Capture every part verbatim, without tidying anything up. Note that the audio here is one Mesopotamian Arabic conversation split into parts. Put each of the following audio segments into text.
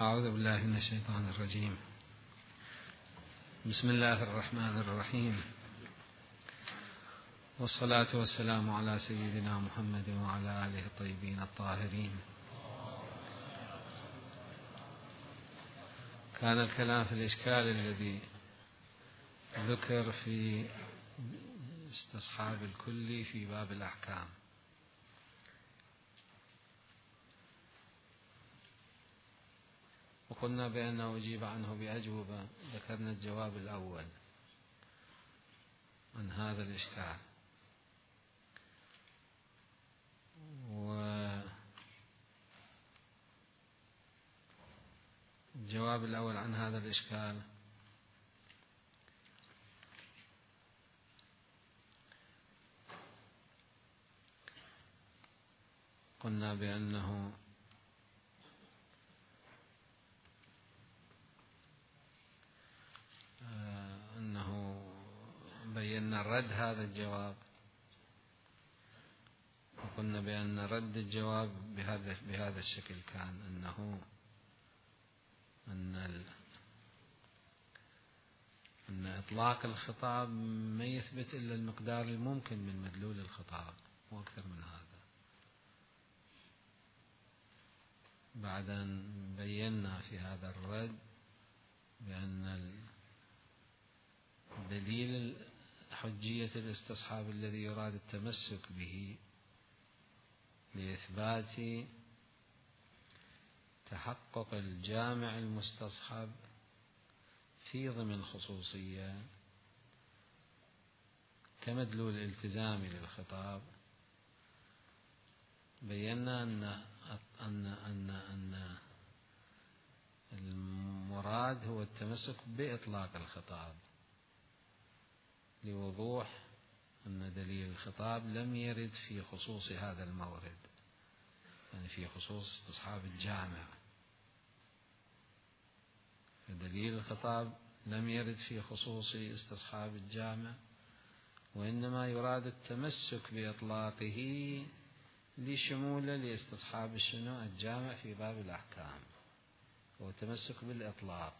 أعوذ بالله من الشيطان الرجيم. بسم الله الرحمن الرحيم، والصلاة والسلام على سيدنا محمد وعلى آله الطيبين الطاهرين. كان الكلام في الإشكال الذي ذكر في استصحاب الكلي في باب الأحكام، وقلنا بأنه أجيب عنه بأجوبة. ذكرنا الجواب الأول عن هذا الإشكال، والجواب الأول عن هذا الإشكال قلنا بأنه أنه بينا رد هذا الجواب، وقلنا بأن رد الجواب بهذا بهذا الشكل كان أنه أن ال... أن إطلاق الخطاب ما يثبت إلا المقدار الممكن من مدلول الخطاب، مو أكثر من هذا. بعد أن بينا في هذا الرد بأن دليل حجية الاستصحاب الذي يراد التمسك به لإثبات تحقق الجامع المستصحب في ضمن الخصوصية كمدلول التزامي للخطاب، بينا أن أن أن أن المراد هو التمسك بإطلاق الخطاب، لوضوح أن دليل الخطاب لم يرد في خصوص هذا المورد، يعني في خصوص استصحاب الجامع. دليل الخطاب لم يرد في خصوص استصحاب الجامع، وإنما يراد التمسك بإطلاقه لشموله لاستصحاب الشنو الجامع في باب الأحكام، والتمسك بالإطلاق.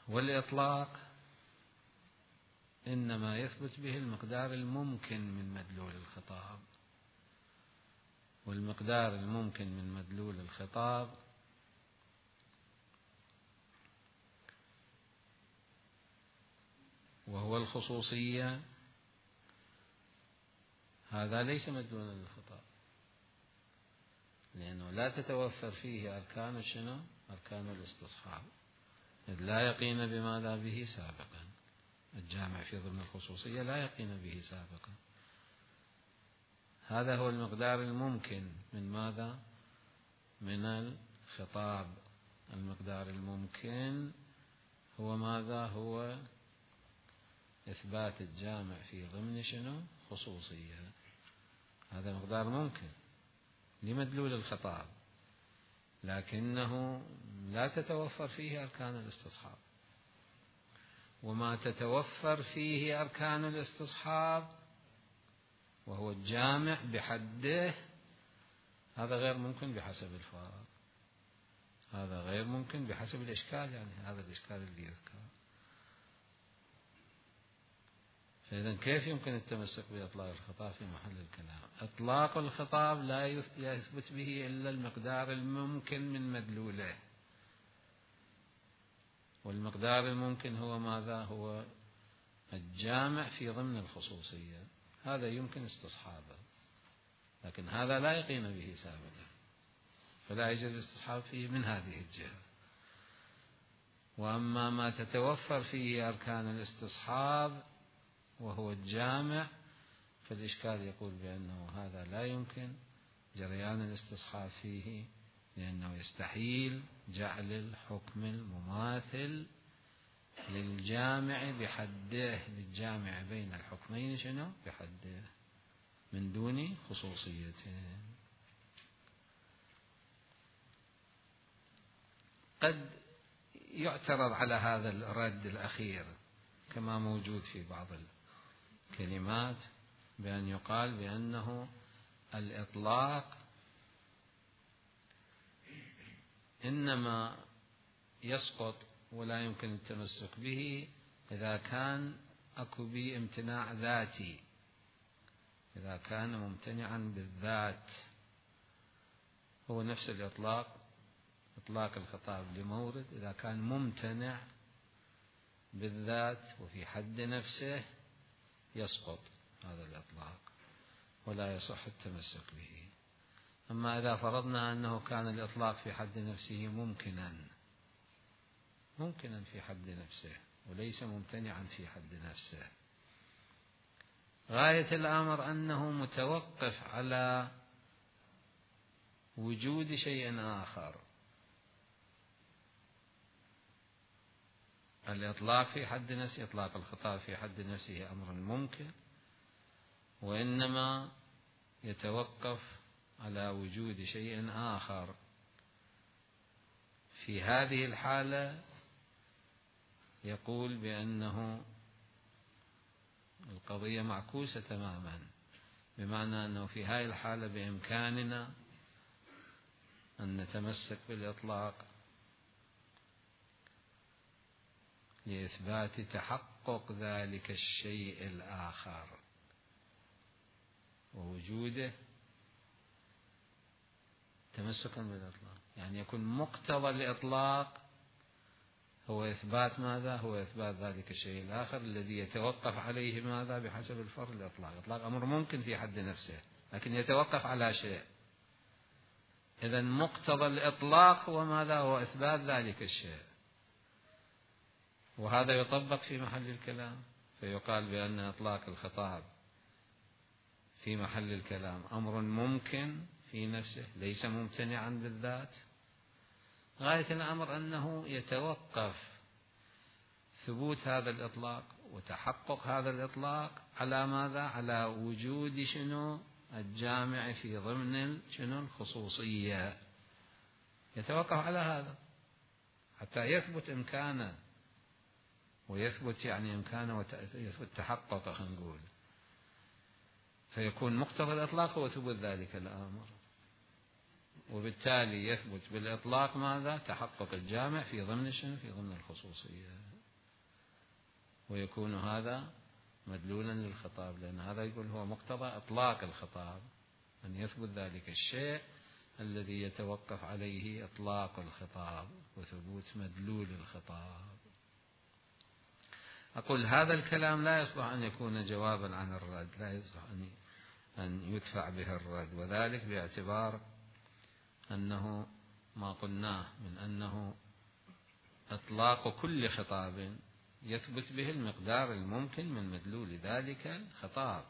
والإطلاق إنما يثبت به المقدار الممكن من مدلول الخطاب، والمقدار الممكن من مدلول الخطاب وهو الخصوصية، هذا ليس مدلولا للخطاب، لأنه لا تتوفر فيه أركان شنو أركان الاستصحاب، إذ لا يقين بماذا به سابقا. الجامع في ضمن الخصوصية لا يقين به سابقا. هذا هو المقدار الممكن من ماذا؟ من الخطاب. المقدار الممكن هو ماذا؟ هو إثبات الجامع في ضمن شنو خصوصية. هذا مقدار ممكن لمدلول الخطاب، لكنه لا تتوفر فيه أركان الاستصحاب، وما تتوفر فيه أركان الاستصحاب وهو الجامع بحده هذا غير ممكن بحسب الفارق، هذا غير ممكن بحسب الإشكال، يعني هذا الإشكال اللي يذكر. فإذا كيف يمكن التمسك بإطلاق الخطاب في محل الكلام؟ إطلاق الخطاب لا يثبت به إلا المقدار الممكن من مدلوله، والمقدار الممكن هو ماذا؟ هو الجامع في ضمن الخصوصية، هذا يمكن استصحابه، لكن هذا لا يقين به سابقا، فلا يجوز الاستصحاب فيه من هذه الجهة. وأما ما تتوفر فيه أركان الاستصحاب وهو الجامع، فالإشكال يقول بأنه هذا لا يمكن جريان الاستصحاب فيه، لأنه يستحيل جعل الحكم المماثل للجامع بحده، للجامع بين الحكمين شنو بحده من دون خصوصيته. قد يعترض على هذا الرد الأخير كما موجود في بعض الكلمات، بأن يقال بأنه الإطلاق إنما يسقط ولا يمكن التمسك به إذا كان أكو به امتناع ذاتي، إذا كان ممتنعا بالذات. هو نفس الإطلاق، إطلاق الخطاب لمورد إذا كان ممتنع بالذات وفي حد نفسه يسقط هذا الإطلاق ولا يصح التمسك به. أما إذا فرضنا أنه كان الإطلاق في حد نفسه ممكنا ممكنا في حد نفسه وليس ممتنعا في حد نفسه، غاية الأمر أنه متوقف على وجود شيء آخر. الإطلاق في حد نفسه، إطلاق الخطاب في حد نفسه أمر ممكن، وإنما يتوقف على وجود شيء آخر. في هذه الحالة يقول بأنه القضية معكوسة تماما، بمعنى أنه في هذه الحالة بإمكاننا أن نتمسك بالإطلاق لإثبات تحقق ذلك الشيء الآخر ووجوده تمسكا بالإطلاق. يعني يكون مقتضى الإطلاق هو إثبات ماذا؟ هو إثبات ذلك الشيء الآخر الذي يتوقف عليه ماذا؟ بحسب الفرض الإطلاق. الإطلاق أمر ممكن في حد نفسه لكن يتوقف على شيء. إذن مقتضى الإطلاق هو ماذا؟ هو إثبات ذلك الشيء، وهذا يطبق في محل الكلام، فيقال بأن إطلاق الخطاب في محل الكلام أمر ممكن في نفسه ليس ممتنعا بالذات. غاية الأمر أنه يتوقف ثبوت هذا الإطلاق وتحقق هذا الإطلاق على ماذا؟ على وجود شنو؟ الجامع في ضمن شنو؟ الخصوصية. يتوقف على هذا حتى يثبت إمكانه ويثبت يعني إمكانه ويثبت تحقق، خلينا نقول، فيكون مقتضى الإطلاق هو ثبوت ذلك الأمر، وبالتالي يثبت بالإطلاق ماذا؟ تحقق الجامع في ضمن شنو؟ في ضمن الخصوصية، ويكون هذا مدلولا للخطاب، لأن هذا يقول هو مقتضى إطلاق الخطاب أن يثبت ذلك الشيء الذي يتوقف عليه إطلاق الخطاب وثبوت مدلول الخطاب. أقول هذا الكلام لا يصلح أن يكون جوابا عن الرد، لا يصلح أن يدفع به الرد، وذلك باعتبار أنه ما قلناه من أنه إطلاق كل خطاب يثبت به المقدار الممكن من مدلول ذلك الخطاب.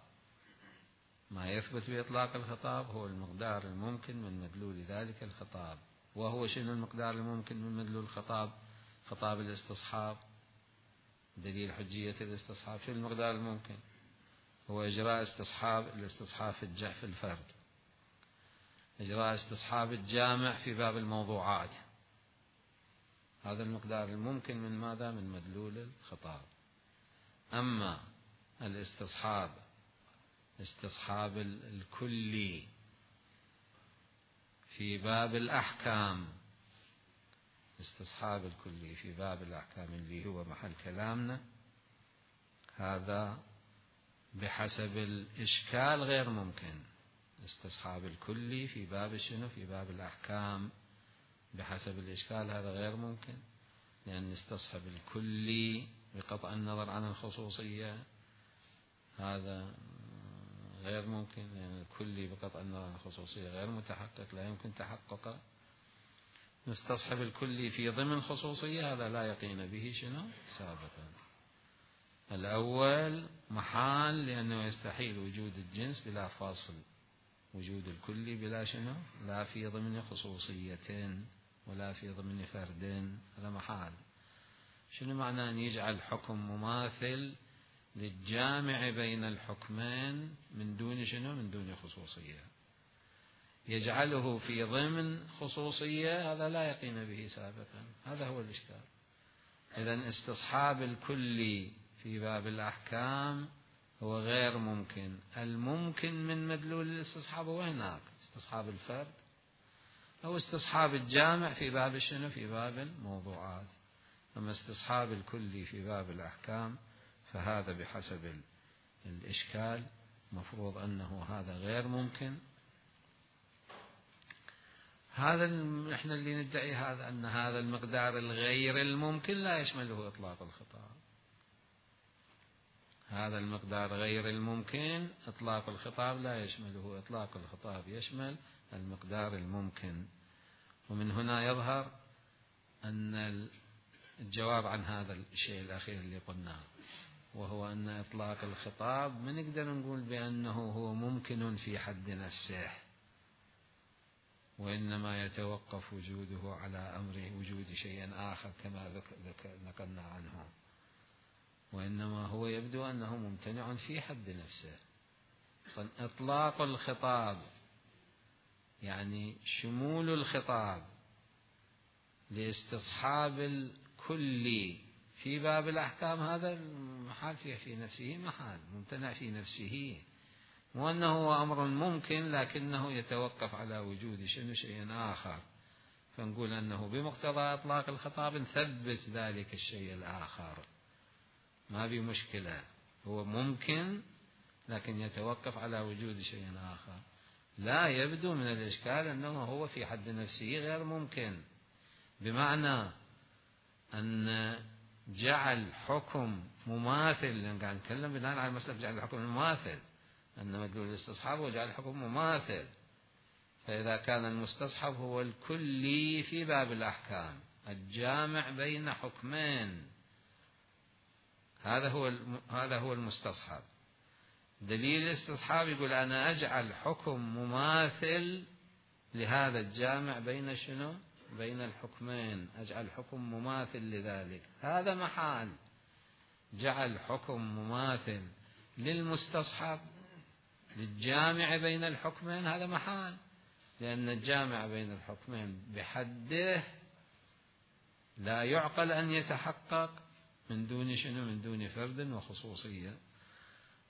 ما يثبت بإطلاق الخطاب هو المقدار الممكن من مدلول ذلك الخطاب. وهو شنو المقدار الممكن من مدلول الخطاب؟ خطاب الاستصحاب، دليل حجية الاستصحاب. شو المقدار الممكن؟ هو إجراء استصحاب، الاستصحاب في الجع في الفرد، إجراء استصحاب الجامع في باب الموضوعات. هذا المقدار الممكن من ماذا؟ من مدلول الخطاب. أما الاستصحاب، استصحاب الكلي في باب الأحكام، استصحاب الكلي في باب الأحكام اللي هو محل كلامنا، هذا بحسب الإشكال غير ممكن. استصحاب الكلي في باب شنو؟ في باب الأحكام بحسب الإشكال هذا غير ممكن، لأن استصحب الكلي بقطع النظر عن الخصوصية هذا غير ممكن، لأن الكلي بقطع النظر عن الخصوصية غير متحقق، لا يمكن تحققه. نستصحب الكلي في ضمن خصوصية هذا لا يقين به شنو؟ سابقا. الأول محال، لأنه يستحيل وجود الجنس بلا فاصل، وجود الكلي بلا شنو؟ لا في ضمن خصوصية ولا في ضمن فرد، هذا محال. شنو معنى أن يجعل حكم مماثل للجامع بين الحكمين من دون شنو؟ من دون خصوصية. يجعله في ضمن خصوصية هذا لا يقين به سابقا، هذا هو الإشكال. إذن استصحاب الكلي في باب الأحكام هو غير ممكن. الممكن من مدلول الاستصحاب هو هناك استصحاب الفرد، أو استصحاب الجامع في باب شنو؟ في باب الموضوعات. أما استصحاب الكلي في باب الأحكام فهذا بحسب الإشكال مفروض أنه هذا غير ممكن. هذا نحن اللي ندعي هذا أن هذا المقدار الغير الممكن لا يشمله إطلاق الخطاب. هذا المقدار غير الممكن إطلاق الخطاب لا يشمله. إطلاق الخطاب يشمل المقدار الممكن. ومن هنا يظهر أن الجواب عن هذا الشيء الأخير اللي قلناه، وهو أن إطلاق الخطاب ما نقدر نقول بأنه هو ممكن في حد نفسه، وإنما يتوقف وجوده على أمر وجود شيء آخر كما نقلنا عنه، وإنما هو يبدو أنه ممتنع في حد نفسه. إطلاق الخطاب يعني شمول الخطاب لاستصحاب الكل في باب الأحكام، هذا محال فيه في نفسه، محال ممتنع في نفسه، وأنه هو أمر ممكن لكنه يتوقف على وجود شنو شيء آخر، فنقول أنه بمقتضى إطلاق الخطاب نثبت ذلك الشيء الآخر، ما في مشكلة، هو ممكن لكن يتوقف على وجود شيء آخر. لا يبدو من الإشكال أنه هو في حد نفسه غير ممكن، بمعنى أن جعل حكم مماثل، لأن قاعد نتكلم بناء على مسألة جعل الحكم مماثل، أن مدلول الاستصحاب هو جعل الحكم مماثل، فإذا كان المستصحب هو الكلي في باب الأحكام الجامع بين حكمين، هذا هو هذا هو المستصحب. دليل الاستصحاب يقول أنا أجعل حكم مماثل لهذا الجامع بين شنو؟ بين الحكمين، أجعل حكم مماثل لذلك، هذا محال. جعل حكم مماثل للمستصحب للجامع بين الحكمين، هذا محال، لأن الجامع بين الحكمين بحده لا يعقل أن يتحقق من دون شنو؟ من دون فرد وخصوصية،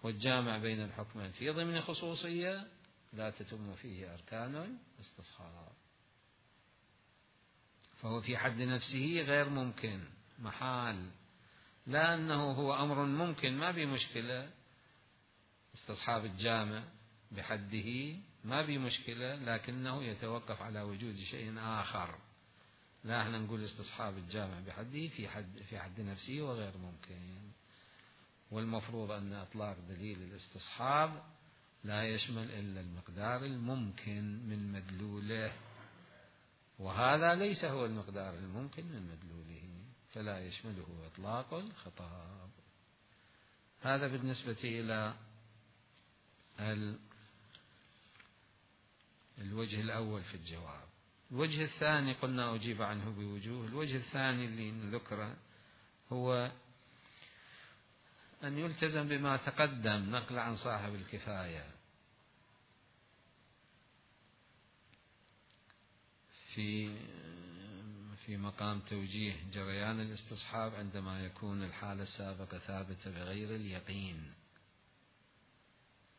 والجامع بين الحكمين في ضمن خصوصية لا تتم فيه أركان الاستصحاب، فهو في حد نفسه غير ممكن، محال. لا أنه هو أمر ممكن ما بمشكلة، استصحاب الجامع بحده ما بمشكلة، لكنه يتوقف على وجود شيء آخر. لا احنا نقول استصحاب الجامع بحده في حد في حد نفسه وغير ممكن، والمفروض أن إطلاق دليل الاستصحاب لا يشمل إلا المقدار الممكن من مدلوله، وهذا ليس هو المقدار الممكن من مدلوله، فلا يشمله إطلاق الخطاب. هذا بالنسبة إلى الوجه الأول في الجواب. الوجه الثاني قلنا أجيب عنه بوجوه. الوجه الثاني اللي نذكره هو أن يلتزم بما تقدم نقل عن صاحب الكفاية في في مقام توجيه جريان الاستصحاب عندما يكون الحالة السابقة ثابتة بغير اليقين.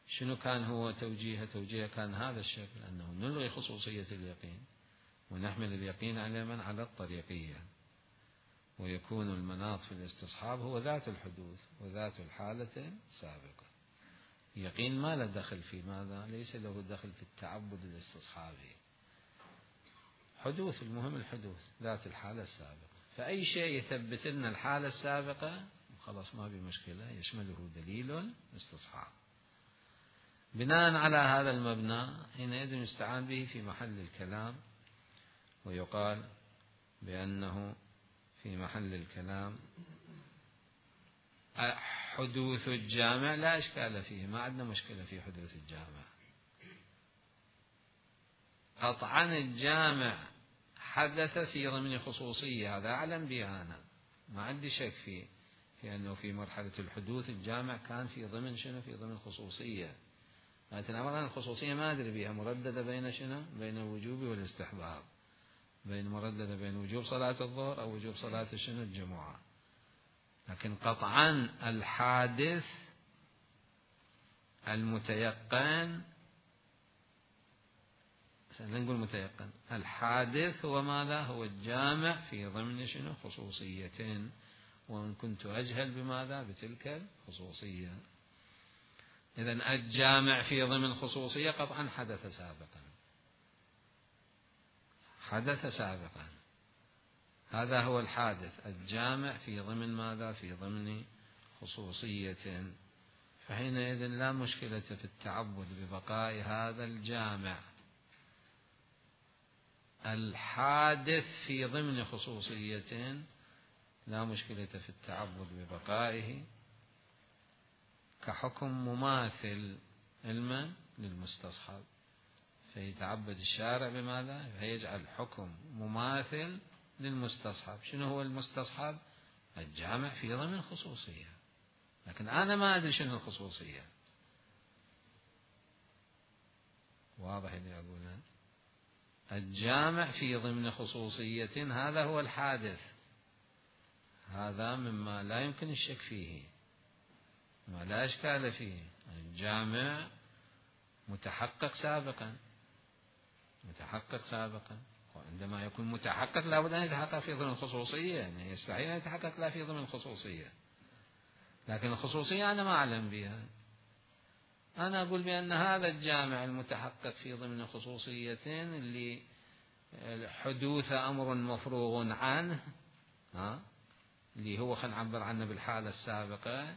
شنو كان هو توجيهه؟ توجيهه كان هذا الشكل، أنه نلغي خصوصية اليقين ونحمل اليقين على من؟ على الطريقية، ويكون المناط في الاستصحاب هو ذات الحدوث وذات الحالة سابقة. يقين ما له دخل في ماذا؟ ليس له دخل في التعبد الاستصحابي، حدوث، المهم الحدوث، ذات الحالة السابقة، فأي شيء يثبت لنا الحالة السابقة خلاص ما بمشكلة، يشمله دليل استصحاب. بناء على هذا المبنى حينئذ يستعان به في محل الكلام، ويقال بأنه في محل الكلام حدوث الجامع لا إشكال فيه، ما عندنا مشكلة في حدوث الجامع. قطعا الجامع حدث في ضمن خصوصية، هذا أعلم به أنا، ما عندي شك فيه، في أنه في مرحلة الحدوث الجامع كان في ضمن شنو؟ في ضمن خصوصية، لكن أولا الخصوصية ما أدري بها، مرددة بين شنو؟ بين الوجوب والاستحباب، بين مرددة بين وجوب صلاة الظهر أو وجوب صلاة شنو؟ الجمعة. لكن قطعا الحادث المتيقن نقول متيقن. الحادث هو ماذا؟ هو الجامع في ضمن شنو؟ خصوصية، وإن كنت أجهل بماذا؟ بتلك الخصوصية. إذن الجامع في ضمن خصوصية قطعا حدث سابقا، حدث سابقا، هذا هو الحادث، الجامع في ضمن ماذا؟ في ضمن خصوصية. فحينئذ لا مشكلة في التعبد ببقاء هذا الجامع الحادث في ضمن خصوصية، لا مشكلة في التعبد ببقائه كحكم مماثل علما للمستصحب. فيتعبد الشارع بماذا؟ فيجعل حكم مماثل للمستصحب. شنو هو المستصحب؟ الجامع في ضمن خصوصية، لكن أنا ما أدري شنو الخصوصية. واضح اللي أقوله؟ الجامع في ضمن خصوصية هذا هو الحادث، هذا مما لا يمكن الشك فيه، ما لا إشكال فيه. الجامع متحقق سابقا، متحقق سابقا، وعندما يكون متحقق لابد أن يتحقق في ضمن الخصوصية، يعني يستحيل أن يتحقق لا في ضمن الخصوصية. لكن الخصوصية أنا ما أعلم بها، أنا أقول بأن هذا الجامع المتحقق في ضمن خصوصية اللي حدوث أمر مفروغ عنه، ها اللي هو خلينا نعبر عنه بالحالة السابقة،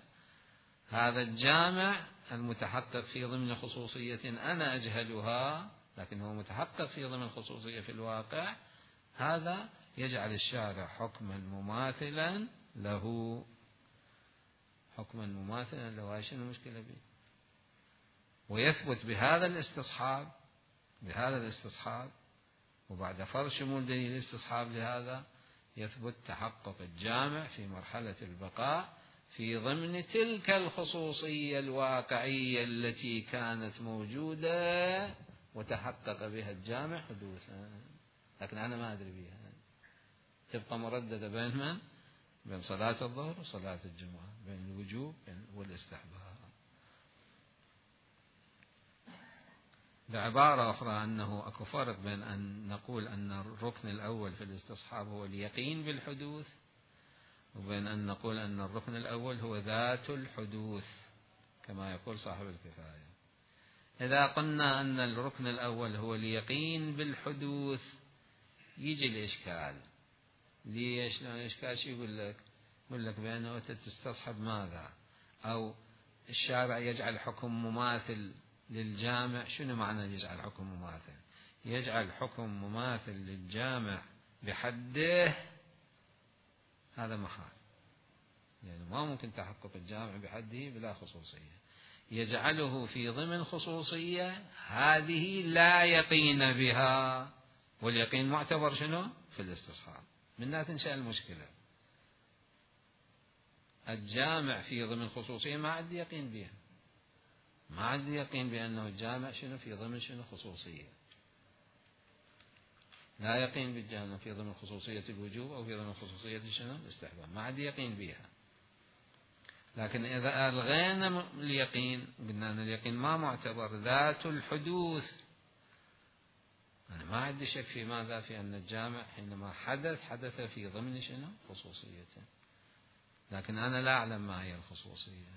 هذا الجامع المتحقق في ضمن خصوصية أنا أجهلها لكن هو متحقق في ضمن خصوصية في الواقع، هذا يجعل الشارع حكما مماثلا له، حكما مماثلا له. هاي شنو المشكلة به؟ ويثبت بهذا الاستصحاب، بهذا الاستصحاب وبعد فرض شمول دليل الاستصحاب لهذا يثبت تحقق الجامع في مرحلة البقاء في ضمن تلك الخصوصية الواقعية التي كانت موجودة وتحقق بها الجامع حدوثا، لكن أنا ما أدري بها. تبقى مرددة بين من؟ بين صلاة الظهر وصلاة الجمعة، بين الوجوب والاستحباب. بعبارة أخرى أنه أكو فرق بين أن نقول أن الركن الأول في الاستصحاب هو اليقين بالحدوث، وبين أن نقول أن الركن الأول هو ذات الحدوث كما يقول صاحب الكفاية. إذا قلنا أن الركن الأول هو اليقين بالحدوث يجي الإشكال. ليش؟ لأن الإشكال شو يقول لك؟ يقول لك بأنه تستصحب ماذا؟ أو الشارع يجعل حكم مماثل للجامع. شنو معنى يجعل حكم مماثل؟ يجعل حكم مماثل للجامع بحده، هذا محال، يعني ما ممكن تحقق الجامع بحده بلا خصوصية. يجعله في ضمن خصوصية هذه لا يقين بها، واليقين معتبر شنو؟ في الاستصحاب. منها تنشأ المشكلة. الجامع في ضمن خصوصية ما عندي يقين بها، ما عندي يقين بأنه الجامع شنو في ضمن شنو خصوصية، لا يقين بالجامع في ضمن خصوصية الوجوب أو في ضمن خصوصية شنو الاستحباب، ما عندي يقين بها. لكن إذا ألغينا اليقين قلنا أن اليقين ما معتبر، ذات الحدوث، أنا ما عندي شك في ماذا؟ في أن الجامع حينما حدث حدث في ضمن شنو خصوصية، لكن أنا لا أعلم ما هي الخصوصية،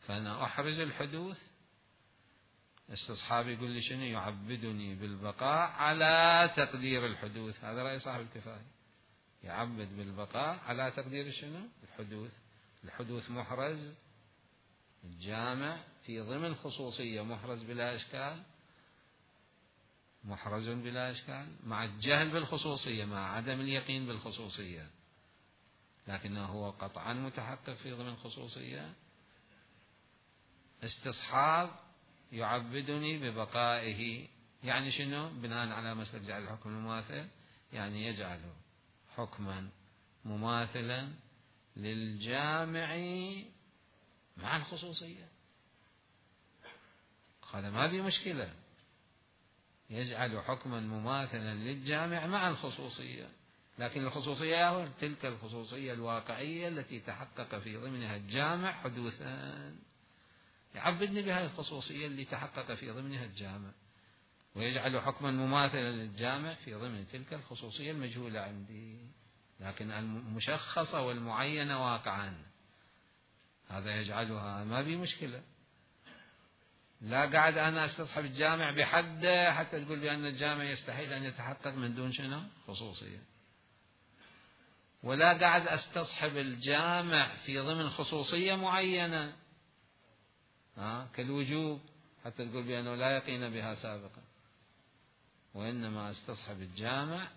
فأنا أحرز الحدوث. استصحابي يقول لي شنو؟ يعبدني بالبقاء على تقدير الحدوث. هذا رأي صاحب الكفاية، يعبد بالبقاء على تقدير شنو الحدوث. الحدوث محرز، الجامع في ضمن خصوصية محرز بلا إشكال، محرز بلا إشكال مع الجهل بالخصوصية، مع عدم اليقين بالخصوصية، لكنه هو قطعا متحقق في ضمن خصوصية. استصحاب يعبدني ببقائه، يعني شنو؟ بناء على مسألة جعل الحكم المماثل، يعني يجعله حكما مماثلا للجامع مع الخصوصية. هذا ما في مشكلة، يجعل حكما مماثلا للجامع مع الخصوصية، لكن الخصوصية هو تلك الخصوصية الواقعية التي تحقق في ضمنها الجامع حدوثا، يعبدني بهذه الخصوصية اللي تحقق في ضمنها الجامع. ويجعل حكما مماثلا للجامع في ضمن تلك الخصوصية المجهولة عندي، لكن المشخصة والمعينة واقعا هذا يجعلها ما بي مشكلة. لا قاعد أنا استصحب الجامع بحده حتى تقول بأن الجامع يستحيل أن يتحقق من دون شنو؟ خصوصية. ولا قاعد استصحب الجامع في ضمن خصوصية معينة ها كالوجوب حتى تقول بأنه لا يقين بها سابقا، وإنما استصحب الجامع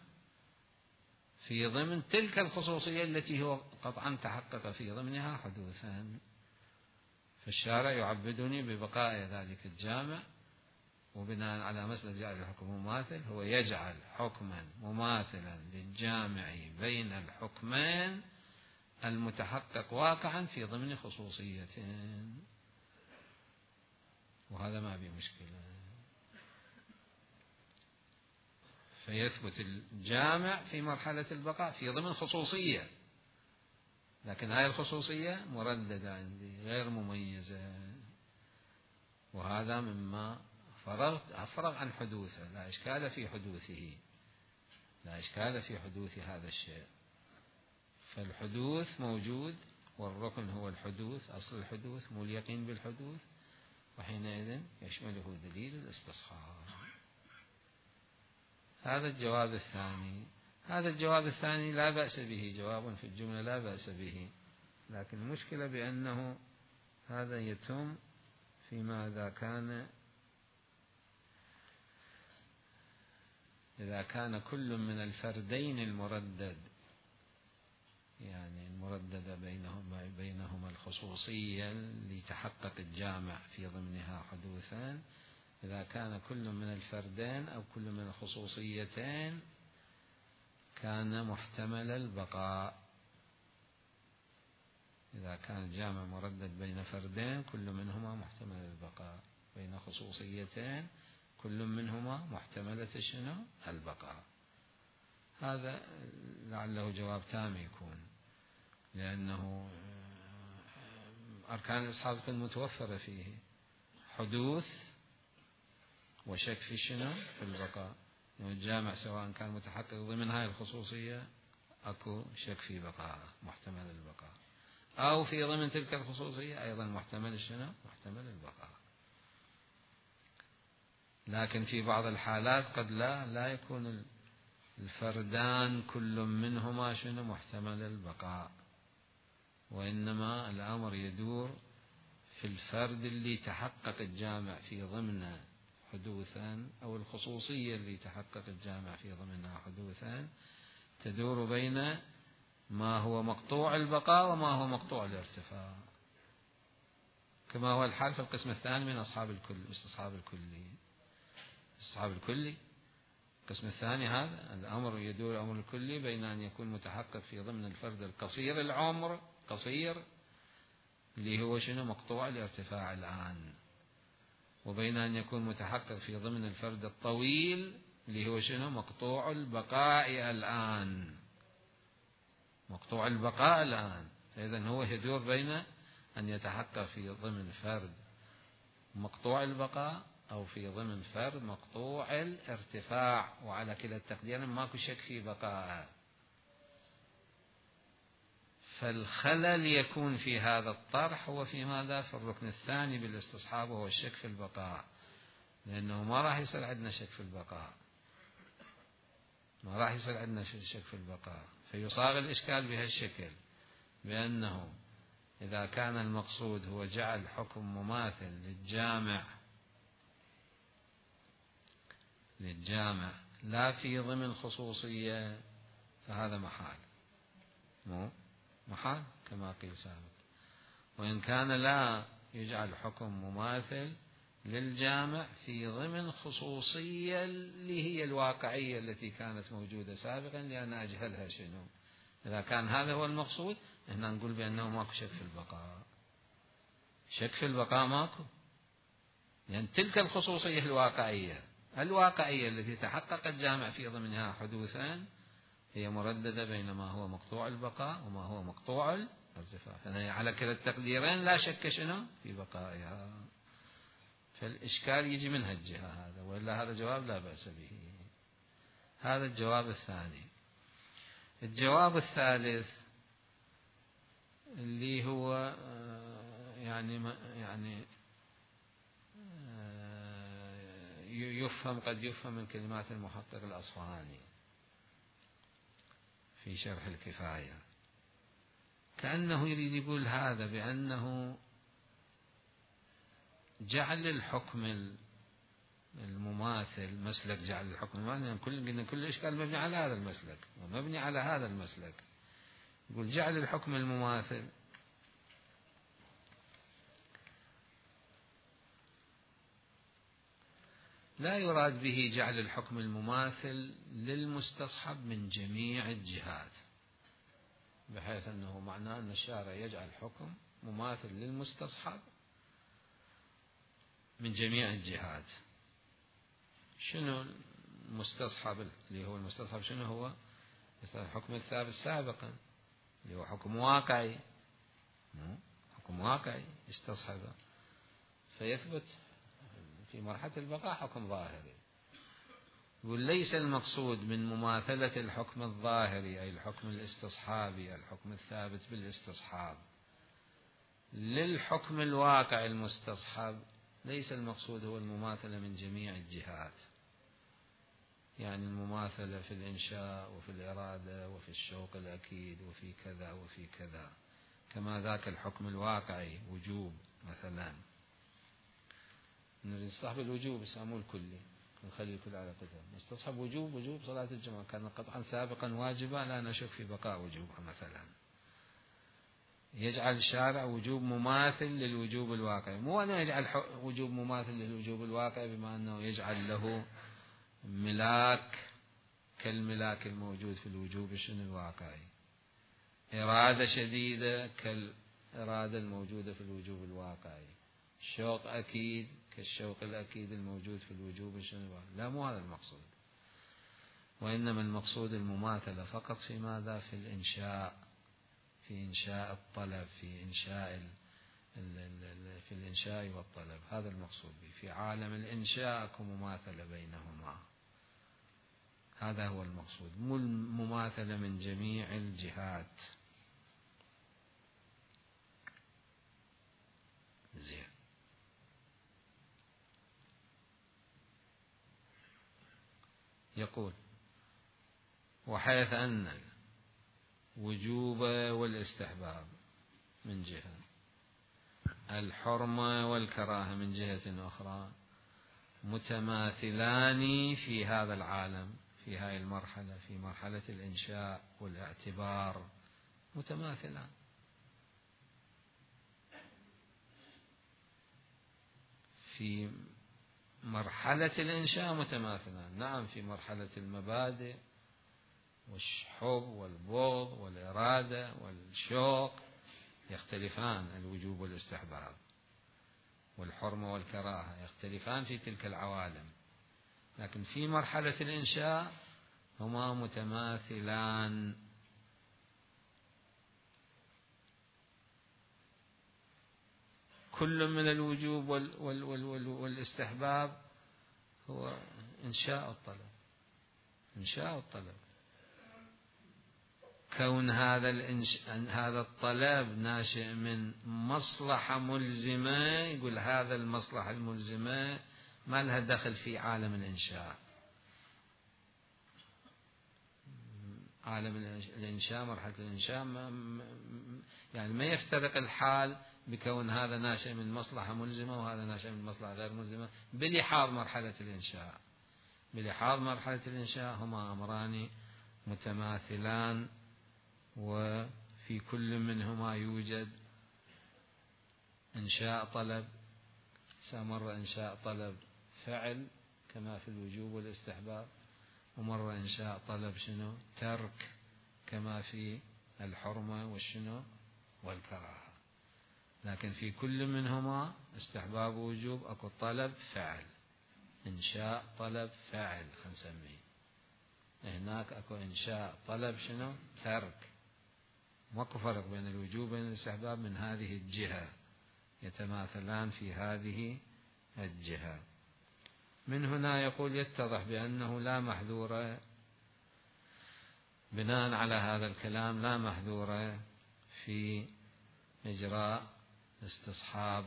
في ضمن تلك الخصوصية التي هو قطعا تحقق في ضمنها حدوثا. فالشارع يعبدني ببقاء ذلك الجامع، وبناء على مسألة جعل الحكم مماثل هو يجعل حكما مماثلا للجامع بين الحكمين المتحقق واقعا في ضمن خصوصيتين، وهذا ما به مشكلة. فيثبت الجامع في مرحلة البقاء في ضمن خصوصية، لكن هذه الخصوصية مرددة عندي غير مميزة، وهذا مما فرغت أفرغ عن حدوثه، لا إشكال في حدوثه، لا إشكال في حدوث هذا الشيء. فالحدوث موجود، والركن هو الحدوث، أصل الحدوث مو اليقين بالحدوث، وحينئذ يشمله دليل الاستصحاب. هذا الجواب الثاني. هذا الجواب الثاني لا بأس به، جواب في الجملة لا بأس به، لكن المشكلة بأنه هذا يتم فيما إذا كان إذا كان كل من الفردين المردد، يعني المردد بينهما بينهما الخصوصية لتحقق الجامع في ضمنها حدوثان، إذا كان كل من الفردين أو كل من الخصوصيتين كان محتمل البقاء. إذا كان الجامع مردد بين فردين كل منهما محتمل البقاء، بين خصوصيتين كل منهما محتملة شنو؟ البقاء. هذا لعله جواب تام يكون، لأنه أركان الإستصحاب متوفرة فيه حدوث وشك في شنو؟ في البقاء. يعني الجامع سواء كان متحقق ضمن هذه الخصوصية أكو شك في بقاء، محتمل البقاء، أو في ضمن تلك الخصوصية أيضا محتمل شنو؟ محتمل البقاء. لكن في بعض الحالات قد لا لا يكون الفردان كل منهما شنو؟ محتمل البقاء، وإنما الأمر يدور في الفرد اللي تحقق الجامع في ضمن حدوثا، أو الخصوصية اللي تحقق الجامع في ضمنها حدوثا، تدور بين ما هو مقطوع البقاء وما هو مقطوع الارتفاع، كما هو الحال في القسم الثاني من أصحاب الكل، استصحاب الكلي. استصحاب الكلي القسم الثاني هذا الأمر يدور الأمر الكلي بين أن يكون متحقق في ضمن الفرد القصير العمر قصير اللي هو شنو؟ مقطوع الارتفاع الآن، وبين أن يكون متحقق في ضمن الفرد الطويل اللي هو شنو؟ مقطوع البقاء الآن، مقطوع البقاء الآن. فإذا هو يدور بين أن يتحقق في ضمن فرد مقطوع البقاء أو في ضمن فرد مقطوع الارتفاع، وعلى كلا التقديرين ماكو شك في بقاء. فالخلل يكون في هذا الطرح هو في ماذا؟ في الركن الثاني بالاستصحاب، وهو الشك في البقاء، لأنه ما راح يصير عندنا شك في البقاء، ما راح يصير عندنا شك في البقاء. فيصاغ الإشكال بهالشكل، بأنه إذا كان المقصود هو جعل حكم مماثل للجامع للجامع لا في ضمن خصوصية، فهذا محال، مو محال كما قيل سابقا. وإن كان لا يجعل حكم مماثل للجامع في ضمن خصوصية اللي هي الواقعية التي كانت موجودة سابقا، لأن أجهلها شنو؟ إذا كان هذا هو المقصود هنا نقول بأنه ماكو شك في البقاء، شك في البقاء ماكو، لأن يعني تلك الخصوصية الواقعية الواقعية التي تحقق الجامع في ضمنها حدوثا هي مرددة بين ما هو مقطوع البقاء وما هو مقطوع الارتفاع، فعلى كلا التقديرين لا شك شنو؟ في بقائها. فالإشكال يجي من هالجهة هذا، وإلا هذا جواب لا بأس به. هذا الجواب الثاني. الجواب الثالث اللي هو يعني يعني يفهم قد يفهم من كلمات المحقق الأصفهاني في شرح الكفاية، كأنه يريد يقول هذا بأنه جعل الحكم المماثل مسلك، جعل الحكم المماثل يعني كل كل إشكال مبني على هذا المسلك ومبني على هذا المسلك. يقول جعل الحكم المماثل لا يراد به جعل الحكم المماثل للمستصحب من جميع الجهات، بحيث أنه معناه أن الشارع يجعل حكم مماثل للمستصحب من جميع الجهات. شنو المستصحب اللي هو المستصحب؟ شنو هو؟ الحكم الثابت سابقا اللي هو حكم واقعي، حكم واقعي استصحبه فيثبت في مرحلة البقاء حكم ظاهري. يقول ليس المقصود من مماثلة الحكم الظاهري أي الحكم الاستصحابي الحكم الثابت بالاستصحاب للحكم الواقع المستصحب، ليس المقصود هو المماثلة من جميع الجهات، يعني المماثلة في الإنشاء وفي الإرادة وفي الشوق الأكيد وفي كذا وفي كذا، كما ذاك الحكم الواقعي وجوب مثلا نستصحب الوجوب يسموه الكلي نخلي الكل على قدر، نستصحب وجوب وجوب صلاة الجمعة كان قطعا سابقا واجبا لا نشك في بقاء وجوبها مثلا. يجعل الشارع وجوب مماثل للوجوب الواقعي، مو أنه يجعل وجوب مماثل للوجوب الواقعي بما أنه يجعل له ملاك كالملاك الموجود في الوجوب الشنو الواقعي، إرادة شديدة كالإرادة الموجودة في الوجوب الواقعي، شوق أكيد كالشوق الأكيد الموجود في الوجوب الشنو الواقعي. لا، مو هذا المقصود، وإنما المقصود المماثلة فقط في ماذا؟ في الإنشاء، في إنشاء الطلب، في إنشاء ال ال ال في الإنشاء والطلب، هذا المقصود به. في عالم الإنشاء أكو مماثلة بينهما، هذا هو المقصود، مو المماثلة من جميع الجهات. زين. يقول وحيث أن الوجوب والاستحباب من جهة، الحرمة والكراهة من جهة أخرى، متماثلان في هذا العالم، في هذه المرحلة، في مرحلة الإنشاء والاعتبار متماثلان. في مرحلة الإنشاء متماثلان، نعم، في مرحلة المبادئ والحب والبغض والإرادة والشوق يختلفان، الوجوب والاستحباب والحرمة والكراهة يختلفان في تلك العوالم، لكن في مرحلة الإنشاء هما متماثلان. كل من الوجوب وال وال وال وال والاستحباب هو إنشاء الطلب، إنشاء الطلب، كون هذا الإنش... هذا الطلب ناشئ من مصلحة ملزمة، يقول هذا المصلحة الملزمة ما لها دخل في عالم الإنشاء. عالم الإنشاء، مرحلة الإنشاء ما يعني ما يفترق الحال بكون هذا ناشئ من مصلحة ملزمة وهذا ناشئ من مصلحة غير ملزمة بلحاظ مرحلة الإنشاء. بلحاظ مرحلة الإنشاء هما أمران متماثلان، وفي كل منهما يوجد إنشاء طلب، سمر إنشاء طلب فعل كما في الوجوب والاستحباب، ومر إنشاء طلب شنو؟ ترك كما في الحرمة والشنو والكراهة. لكن في كل منهما استحباب ووجوب أكو طلب فعل، إنشاء طلب فعل خنسميه، هناك أكو إنشاء طلب شنو؟ ترك. ماكو فرق بين الوجوب وبين الاستحباب من هذه الجهة، يتماثلان في هذه الجهة. من هنا يقول يتضح بأنه لا محذور بناء على هذا الكلام لا محذور في إجراء استصحاب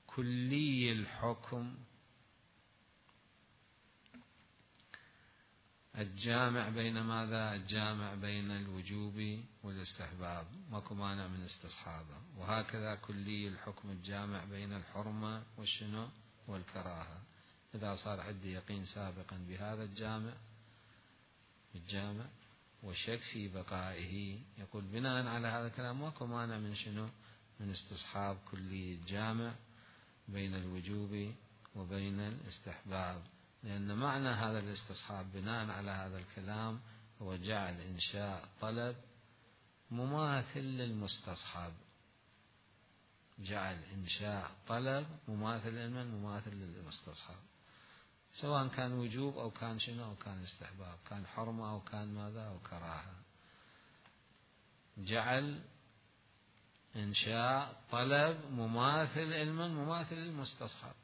كلي الحكم الجامع بين ماذا؟ الجامع بين الوجوب والاستحباب، ماكو مانع من استصحابه. وهكذا كلي الحكم الجامع بين الحرمة والشنو والكراهة، إذا صار عندي يقين سابقا بهذا الجامع الجامع وشك في بقائه، يقول بناء على هذا الكلام ماكو مانع من شنو؟ من استصحاب كلي الجامع بين الوجوب وبين الاستحباب، لأن معنى هذا الاستصحاب بناء على هذا الكلام هو جعل إنشاء طلب مماثل للمستصحب، جعل إنشاء طلب مماثل لمن؟ مماثل للمستصحب، سواء كان وجوب أو كان شنو أو كان استحباب، كان حرمة أو كان ماذا أو كراهة. جعل إنشاء طلب مماثل لمن؟ مماثل للمستصحب،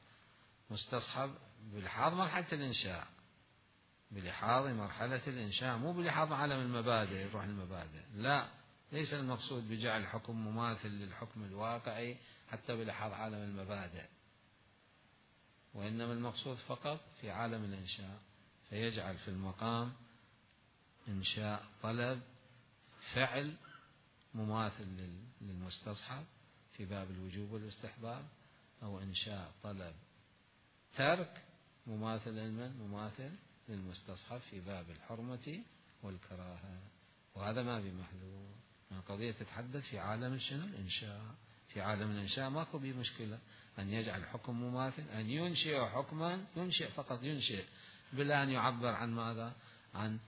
مستصحب بلحاظ مرحلة الإنشاء، بلحاظ مرحلة الإنشاء، مو بلحاظ عالم المبادئ يروح المبادئ، لا، ليس المقصود بجعل حكم مماثل للحكم الواقعي حتى بلحاظ عالم المبادئ، وإنما المقصود فقط في عالم الإنشاء، فيجعل في المقام إنشاء طلب فعل مماثل للمستصحب في باب الوجوب والاستحباب، أو إنشاء طلب ترك مماثل لمن؟ مماثل للمستصحب في باب الحرمة والكراهة. وهذا ما بمحذور، القضية تتحدث في عالم شنو؟ الإنشاء. في عالم الإنشاء ماكو بيه مشكلة أن يجعل حكم مماثل، أن ينشئ حكما، ينشئ فقط ينشئ بلا أن يعبر عن ماذا؟ عن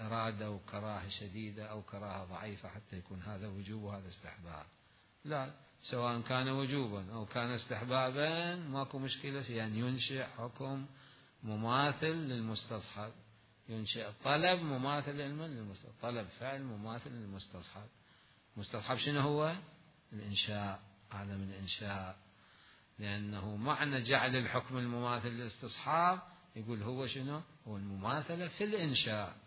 إرادة أو كراهة شديدة أو كراهة ضعيفة حتى يكون هذا وجوب وهذا استحباب، لا، سواء كان وجوبا أو كان استحبابا ماكو مشكلة في أن ينشئ حكم مماثل للمستصحب، ينشئ طلب مماثل للمستصحب، طلب فعل مماثل للمستصحب. مستصحب شنو هو؟ الإنشاء، عالم الإنشاء، لأنه معنى جعل الحكم المماثل للاستصحاب يقول هو شنو؟ هو المماثلة في الإنشاء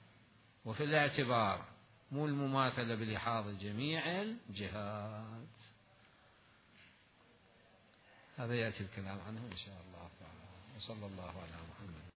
وفي الاعتبار، مو المماثلة بلحاظ جميع الجهات. هذا يأتي الكلام عنه إن شاء الله تعالى، وصلى الله على محمد.